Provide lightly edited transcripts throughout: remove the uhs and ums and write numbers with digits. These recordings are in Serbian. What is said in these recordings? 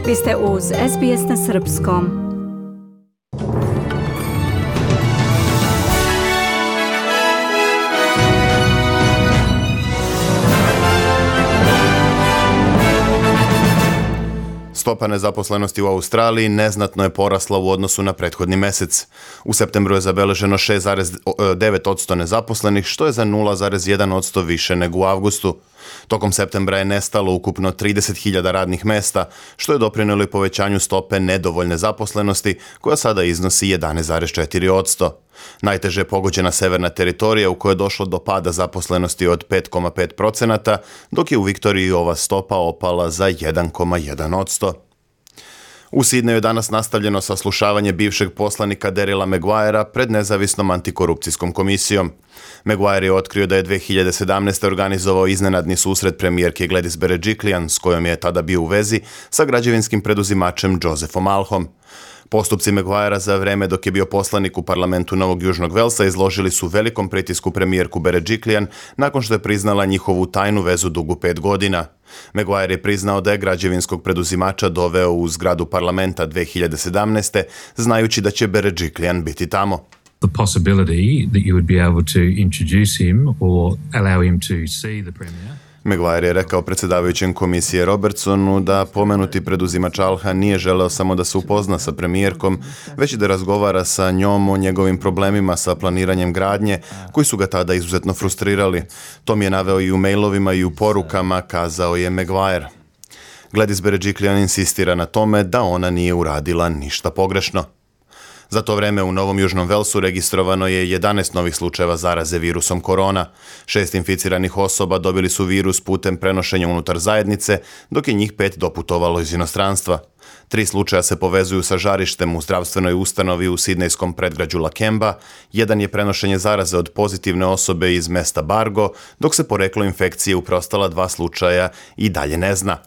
Vi ste uz SBS na srpskom. Stopa nezaposlenosti u Australiji neznatno je porasla u odnosu na prethodni mesec. U septembru je zabeleženo 6,9% nezaposlenih, što je za 0,1% više nego u avgustu. Tokom septembra je nestalo ukupno 30.000 radnih mesta, što je doprinelo i povećanju stope nedovoljne zaposlenosti, koja sada iznosi 11,4%. Najteže je pogođena severna teritorija u kojoj je došlo do pada zaposlenosti od 5,5%, dok je u Viktoriji ova stopa opala za 1,1%. U Sidneju je danas nastavljeno saslušavanje bivšeg poslanika Darryla Maguirea pred nezavisnom antikorupcijskom komisijom. Maguire je otkrio da je 2017. organizovao iznenadni susret premijerke Gladys Berejiklian, s kojom je tada bio u vezi sa građevinskim preduzimačem Josephom Alhom. Postupci Maguirea za vreme dok je bio poslanik u parlamentu Novog Južnog Velsa izložili su velikom pritisku premijerku Berejiklian nakon što je priznala njihovu tajnu vezu dugu 5 godina. Maguire je priznao da je građevinskog preduzimača doveo u zgradu parlamenta 2017. znajući da će Berejiklian biti tamo. The possibility that you would be able to introduce him or allow him to see the premier. Maguire je rekao predsjedavajućem komisije Robertsonu da pomenuti preduzimač Alha nije želeo samo da se upozna sa premijerkom, već i da razgovara sa njom o njegovim problemima sa planiranjem gradnje, koji su ga tada izuzetno frustrirali. To mi je naveo i u mailovima i u porukama, kazao je Maguire. Gladys Berejiklian insistira na tome da ona nije uradila ništa pogrešno. Za to vreme u Novom Južnom Velsu registrovano je 11 novih slučajeva zaraze virusom korona. 6 inficiranih osoba dobili su virus putem prenošenja unutar zajednice, dok je njih 5 doputovalo iz inostranstva. 3 slučaja se povezuju sa žarištem u zdravstvenoj ustanovi u sidnejskom predgrađu Lakemba, jedan je prenošenje zaraze od pozitivne osobe iz mesta Bargo, dok se poreklo infekcije u preostala 2 slučaja i dalje ne zna.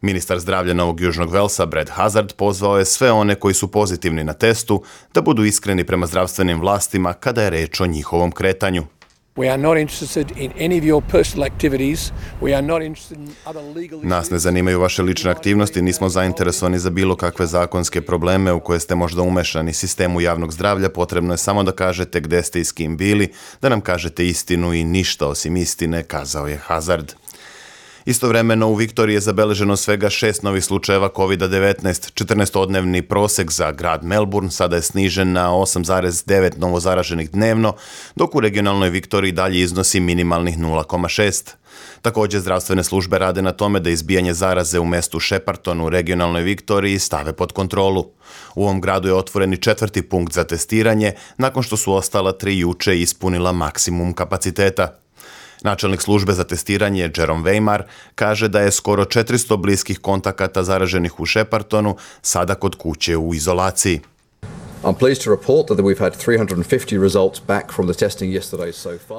Ministar zdravlja Novog Južnog Velsa, Brad Hazard, pozvao je sve one koji su pozitivni na testu da budu iskreni prema zdravstvenim vlastima kada je reč o njihovom kretanju. Nas ne zanimaju vaše lične aktivnosti, nismo zainteresovani za bilo kakve zakonske probleme u koje ste možda umešani. Sistemu javnog zdravlja potrebno je samo da kažete gde ste i s kim bili, da nam kažete istinu i ništa osim istine, kazao je Hazard. Istovremeno u Viktoriji je zabeleženo svega 6 novih slučajeva COVID-19. 14-odnevni prosek za grad Melbourne sada je snižen na 8,9 novozaraženih dnevno, dok u regionalnoj Viktoriji dalje iznosi minimalnih 0,6. Također, zdravstvene službe rade na tome da izbijanje zaraze u mestu Shepparton u regionalnoj Viktoriji stave pod kontrolu. U ovom gradu je otvoren i 4. punkt za testiranje, nakon što su ostala 3 juče ispunila maksimum kapaciteta. Načelnik službe za testiranje Jerome Weimar kaže da je skoro 400 bliskih kontakata zaraženih u Sheppartonu sada kod kuće u izolaciji.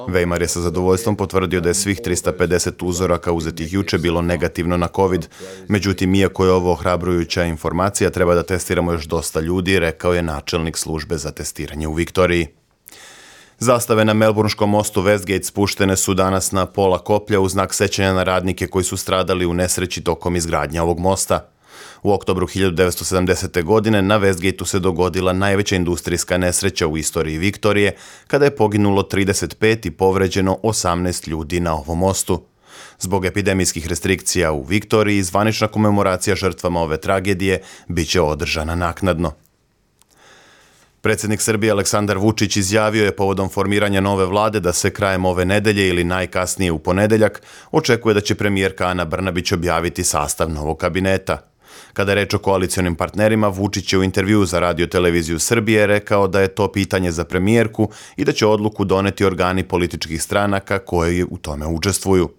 Weimar je sa zadovoljstvom potvrdio da je svih 350 uzoraka uzetih juče bilo negativno na COVID. Međutim, iako je ovo ohrabrujuća informacija, treba da testiramo još dosta ljudi, rekao je načelnik službe za testiranje u Viktoriji. Zastave na Melbournskom mostu Westgate spuštene su danas na pola koplja u znak sećanja na radnike koji su stradali u nesreći tokom izgradnje ovog mosta. U oktobru 1970. godine na Westgateu se dogodila najveća industrijska nesreća u istoriji Viktorije, kada je poginulo 35 i povređeno 18 ljudi na ovom mostu. Zbog epidemijskih restrikcija u Viktoriji, zvanična komemoracija žrtvama ove tragedije biće održana naknadno. Predsjednik Srbije Aleksandar Vučić izjavio je povodom formiranja nove vlade da se krajem ove nedelje ili najkasnije u ponedeljak očekuje da će premijerka Ana Brnabić objaviti sastav novog kabineta. Kada je reč o koalicionim partnerima, Vučić je u intervjuu za Radio Televiziju Srbije rekao da je to pitanje za premijerku i da će odluku doneti organi političkih stranaka koji u tome učestvuju.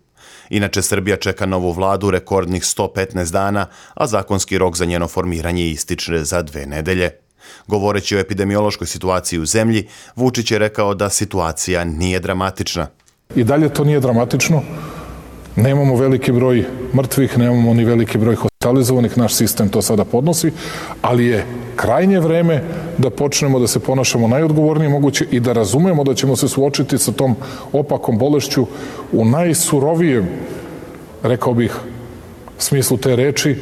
Inače, Srbija čeka novu vladu rekordnih 115 dana, a zakonski rok za njeno formiranje ističe za 2 nedelje. Govoreći o epidemiološkoj situaciji u zemlji, Vučić je rekao da situacija nije dramatična. I dalje to nije dramatično. Nemamo veliki broj mrtvih, nemamo ni veliki broj hospitalizovanih, naš sistem to sada podnosi, ali je krajnje vreme da počnemo da se ponašamo najodgovornije moguće i da razumemo da ćemo se suočiti sa tom opakom bolešću u najsurovijem, rekao bih, smislu te reči.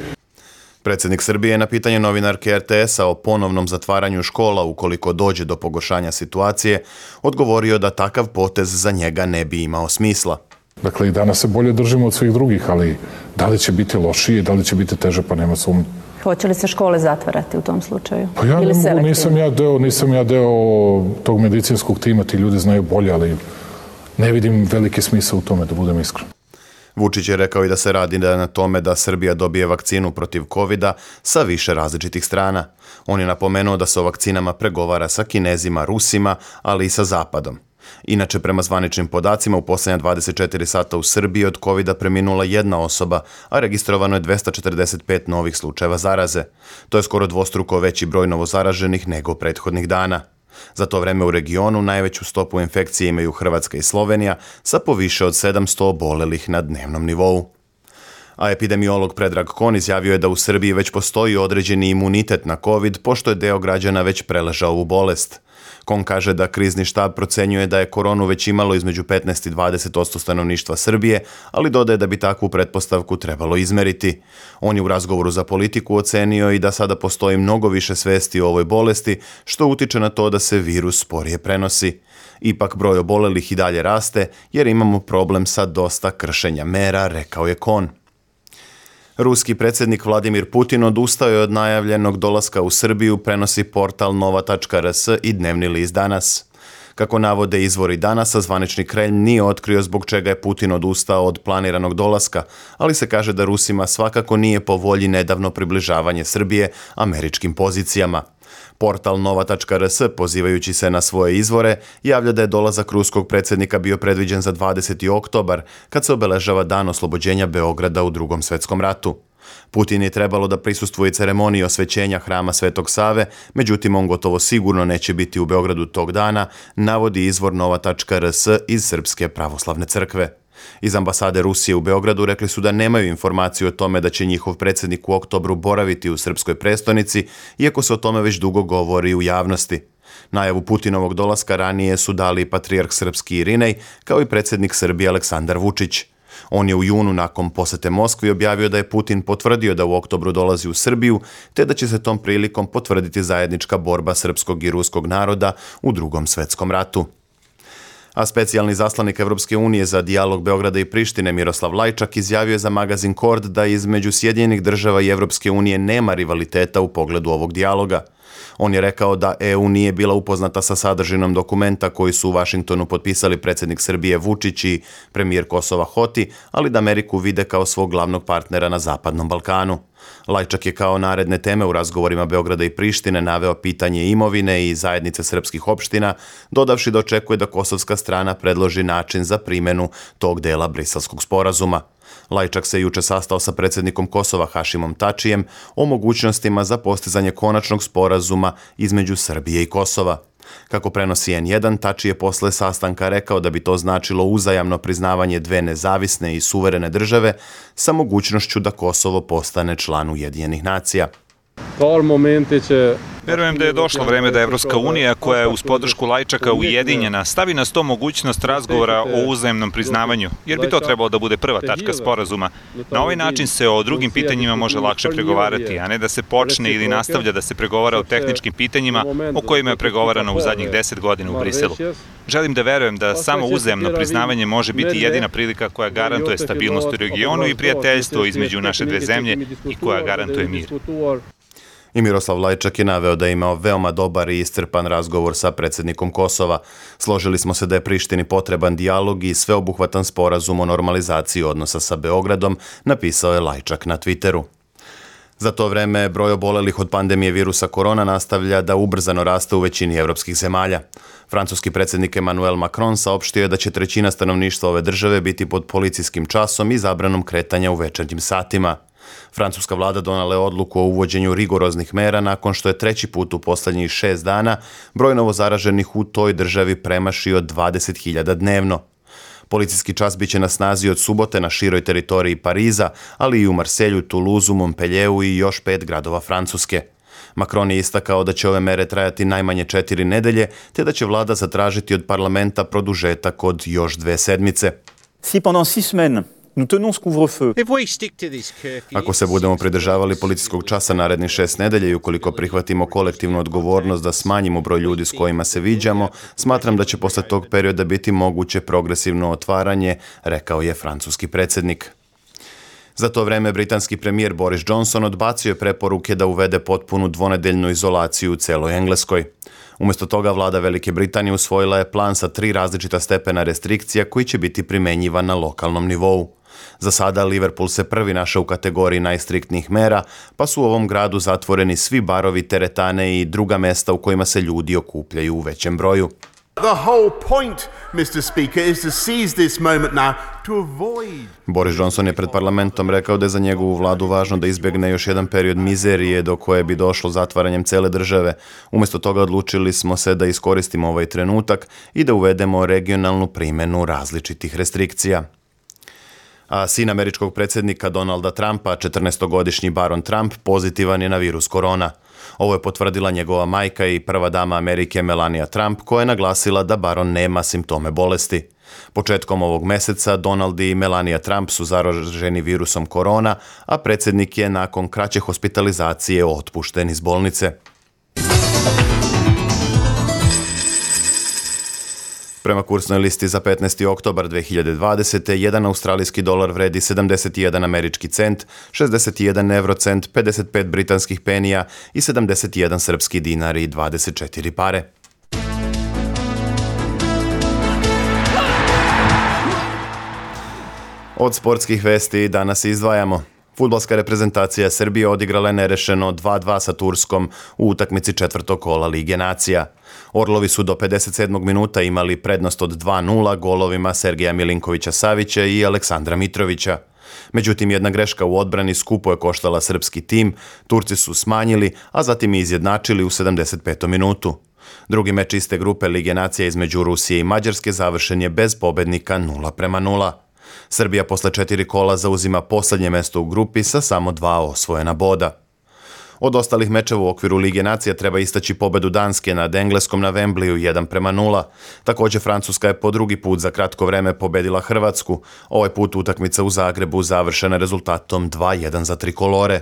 Predsjednik Srbije na pitanje novinarke RTS-a o ponovnom zatvaranju škola ukoliko dođe do pogoršanja situacije, odgovorio da takav potez za njega ne bi imao smisla. Dakle, i danas se bolje držimo od svih drugih, ali da li će biti lošije, da li će biti teže, pa nema sumnje. Hoće li se škole zatvarati u tom slučaju? Pa ja ne mogu, nisam ja deo tog medicinskog tima, ti ljudi znaju bolje, ali ne vidim veliki smisao u tome, da budem iskren. Vučić je rekao i da se radi na tome da Srbija dobije vakcinu protiv covida sa više različitih strana. On je napomenuo da se o vakcinama pregovara sa Kinezima, Rusima, ali i sa Zapadom. Inače, prema zvaničnim podacima, u posljednja 24 sata u Srbiji od covida preminula jedna osoba, a registrovano je 245 novih slučajeva zaraze. To je skoro dvostruko veći broj novozaraženih nego prethodnih dana. Za to vreme u regionu najveću stopu infekcije imaju Hrvatska i Slovenija sa poviše od 700 obolelih na dnevnom nivou. A epidemiolog Predrag Kon izjavio je da u Srbiji već postoji određeni imunitet na COVID, pošto je deo građana već preležao ovu bolest. Kon kaže da krizni štab procenjuje da je koronu već imalo između 15 i 20% stanovništva Srbije, ali dodaje da bi takvu pretpostavku trebalo izmeriti. On je u razgovoru za Politiku ocenio i da sada postoji mnogo više svesti o ovoj bolesti, što utiče na to da se virus sporije prenosi. Ipak broj obolelih i dalje raste jer imamo problem sa dosta kršenja mera, rekao je Kon. Ruski predsjednik Vladimir Putin odustao je od najavljenog dolaska u Srbiju, prenosi portal nova.rs i dnevni list Danas. Kako navode izvori Danasa, zvanični Kremlj nije otkrio zbog čega je Putin odustao od planiranog dolaska, ali se kaže da Rusima svakako nije po volji nedavno približavanje Srbije američkim pozicijama. Portal nova.rs, pozivajući se na svoje izvore, javlja da je dolazak ruskog predsjednika bio predviđen za 20. oktobar, kad se obeležava dan oslobođenja Beograda u Drugom svjetskom ratu. Putin je trebalo da prisustvuje ceremoniji osvećenja hrama Svetog Save, međutim on gotovo sigurno neće biti u Beogradu tog dana, navodi izvor nova.rs iz Srpske pravoslavne crkve. Iz ambasade Rusije u Beogradu rekli su da nemaju informaciju o tome da će njihov predsjednik u oktobru boraviti u srpskoj prestonici, iako se o tome već dugo govori u javnosti. Najavu Putinovog dolaska ranije su dali patrijarh srpski Irinej, kao i predsjednik Srbije Aleksandar Vučić. On je u junu nakon posete Moskvi objavio da je Putin potvrdio da u oktobru dolazi u Srbiju, te da će se tom prilikom potvrditi zajednička borba srpskog i ruskog naroda u Drugom svjetskom ratu. A specijalni zaslanik Evropske unije za dijalog Beograda i Prištine Miroslav Lajčak izjavio je za magazin Kord da između Sjedinjenih država i Evropske unije nema rivaliteta u pogledu ovog dijaloga. On je rekao da EU nije bila upoznata sa sadržinom dokumenta koji su u Vašingtonu potpisali predsjednik Srbije Vučić i premijer Kosova Hoti, ali da Ameriku vide kao svog glavnog partnera na Zapadnom Balkanu. Lajčak je kao naredne teme u razgovorima Beograda i Prištine naveo pitanje imovine i zajednice srpskih opština, dodavši da očekuje da kosovska strana predloži način za primjenu tog dela Briselskog sporazuma. Lajčak se juče sastao sa predsjednikom Kosova Hašimom Tačijem o mogućnostima za postizanje konačnog sporazuma između Srbije i Kosova. Kako prenosi N1, Tači je posle sastanka rekao da bi to značilo uzajamno priznavanje dve nezavisne i suverene države sa mogućnošću da Kosovo postane član Ujedinjenih nacija. Verujem da je došlo vreme da Evropska unija, koja je uz podršku Lajčaka ujedinjena, stavi na sto mogućnost razgovora o uzajamnom priznavanju, jer bi to trebalo da bude prva tačka sporazuma. Na ovaj način se o drugim pitanjima može lakše pregovarati, a ne da se počne ili nastavlja da se pregovara o tehničkim pitanjima o kojima je pregovarano u zadnjih 10 godina u Briselu. Želim da verujem da samo uzajamno priznavanje može biti jedina prilika koja garantuje stabilnost u regionu i prijateljstvo između naše dve zemlje i koja garantuje mir. I Miroslav Lajčak je naveo da je imao veoma dobar i iscrpan razgovor sa predsjednikom Kosova. Složili smo se da je Prištini potreban dijalog i sveobuhvatan sporazum o normalizaciji odnosa sa Beogradom, napisao je Lajčak na Twitteru. Za to vreme broj obolelih od pandemije virusa korona nastavlja da ubrzano raste u većini evropskih zemalja. Francuski predsjednik Emmanuel Macron saopštio je da će trećina stanovništva ove države biti pod policijskim časom i zabranom kretanja u večernjim satima. Francuska vlada donala je odluku o uvođenju rigoroznih mera nakon što je treći put u posljednjih 6 dana broj novozaraženih u toj državi premašio 20.000 dnevno. Policijski čas biće na snazi od subote na široj teritoriji Pariza, ali i u Marselju, Toulouseu, Montpellieru i još 5 gradova Francuske. Macron je istakao da će ove mere trajati najmanje 4 nedelje, te da će vlada zatražiti od parlamenta produžetak od još 2 sedmice. Si pendant 6 semaines Nous tenons ce couvre-feu. Ako se budemo pridržavali policijskog časa narednih 6 nedelja i ukoliko prihvatimo kolektivnu odgovornost da smanjimo broj ljudi s kojima se viđamo, smatram da će posle tog perioda biti moguće progresivno otvaranje, rekao je francuski predsjednik. Za to vreme britanski premijer Boris Johnson odbacio je preporuke da uvede potpunu dvonedeljnu izolaciju u celoj Engleskoj. Umjesto toga vlada Velike Britanije usvojila je plan sa 3 različita stepena restrikcija koji će biti primenjivan na lokalnom nivou. Za sada Liverpool se prvi našao u kategoriji najstriktnijih mera, pa su u ovom gradu zatvoreni svi barovi, teretane i druga mesta u kojima se ljudi okupljaju u većem broju. The whole point, Mr. Speaker, is to seize this moment now to avoid... Boris Johnson je pred parlamentom rekao da je za njegovu vladu važno da izbjegne još jedan period mizerije do koje bi došlo zatvaranjem cele države. Umjesto toga odlučili smo se da iskoristimo ovaj trenutak i da uvedemo regionalnu primjenu različitih restrikcija. A sin američkog predsjednika Donalda Trumpa, 14-godišnji baron Trump, pozitivan je na virus korona. Ovo je potvrdila njegova majka i prva dama Amerike Melania Trump, koja je naglasila da baron nema simptome bolesti. Početkom ovog meseca Donald i Melania Trump su zaraženi virusom korona, a predsjednik je nakon kraće hospitalizacije otpušten iz bolnice. Prema kursnoj listi za 15. oktobar 2020. jedan australijski dolar vredi 71 američki cent, 61 eurocent, 55 britanskih penija i 71 srpski dinar i 24 pare. Od sportskih vesti danas izdvajamo. Fudbalska reprezentacija Srbije odigrala je nerešeno 2:2 sa Turskom u utakmici 4. kola Lige nacija. Orlovi su do 57. minuta imali prednost od 2:0 golovima Sergeja Milinkovića-Savića i Aleksandra Mitrovića. Međutim, jedna greška u odbrani skupo je koštala srpski tim, Turci su smanjili, a zatim i izjednačili u 75. minutu. Drugi meč iste grupe Lige nacija između Rusije i Mađarske završen je bez pobednika 0:0. Srbija posle 4 kola zauzima posljednje mesto u grupi sa samo 2 osvojena boda. Od ostalih mečeva u okviru Lige nacija treba istaći pobedu Danske nad Engleskom na Wembleyu 1:0. Također Francuska je po drugi put za kratko vreme pobedila Hrvatsku. Ovaj put utakmica u Zagrebu završena rezultatom 2:1 za trikolore.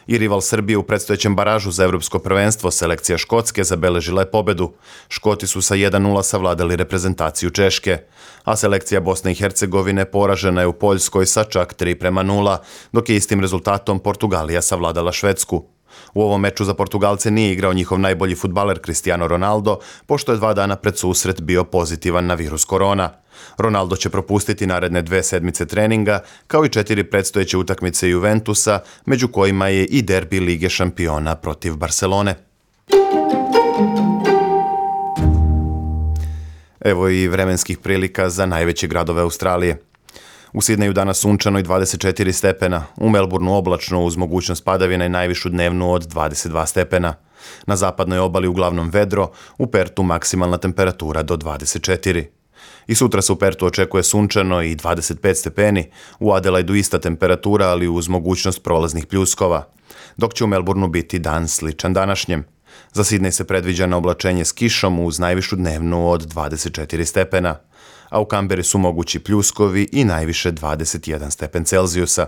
I rival Srbije u predstojećem baražu za evropsko prvenstvo, selekcija Škotske, zabeležila je pobedu. Škoti su sa 1:0 savladali reprezentaciju Češke, a selekcija Bosne i Hercegovine poražena je u Poljskoj sa čak 3:0, dok je istim rezultatom Portugalija savladala Švedsku. U ovom meču za Portugalce nije igrao njihov najbolji fudbaler Cristiano Ronaldo, pošto je 2 dana pred susret bio pozitivan na virus korona. Ronaldo će propustiti naredne 2 sedmice treninga, kao i 4 predstojeće utakmice Juventusa, među kojima je i derbi Lige šampiona protiv Barcelone. Evo i vremenskih prilika za najveće gradove Australije. U Sidneju danas sunčano i 24 stepena, u Melbourneu oblačno uz mogućnost padavina i najvišu dnevnu od 22 stepena. Na zapadnoj obali uglavnom vedro, u Pertu maksimalna temperatura do 24. I sutra se u Pertu očekuje sunčano i 25 stepeni, u Adelaidu ista temperatura, ali uz mogućnost prolaznih pljuskova, dok će u Melbourneu biti dan sličan današnjem. Za Sidnej se predviđa na oblačenje s kišom uz najvišu dnevnu od 24 stepena, a u Kamberi su mogući pljuskovi i najviše 21 stepen Celzijusa.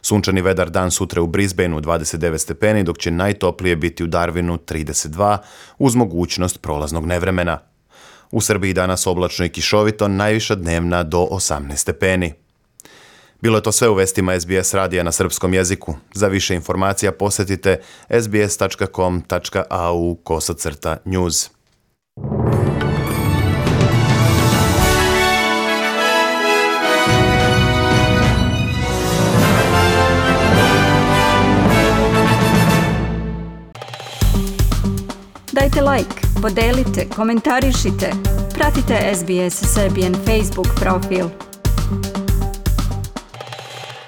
Sunčani vedar dan sutra u Brisbaneu 29 stepeni, dok će najtoplije biti u Darwinu 32 uz mogućnost prolaznog nevremena. U Srbiji danas oblačno i kišovito, najviša dnevna do 18 stepeni. Bilo je to sve u vestima SBS radija na srpskom jeziku. Za više informacija posjetite sbs.com.au/news. Dajte like, podelite, komentarišite. Pratite SBS Serbian Facebook profil.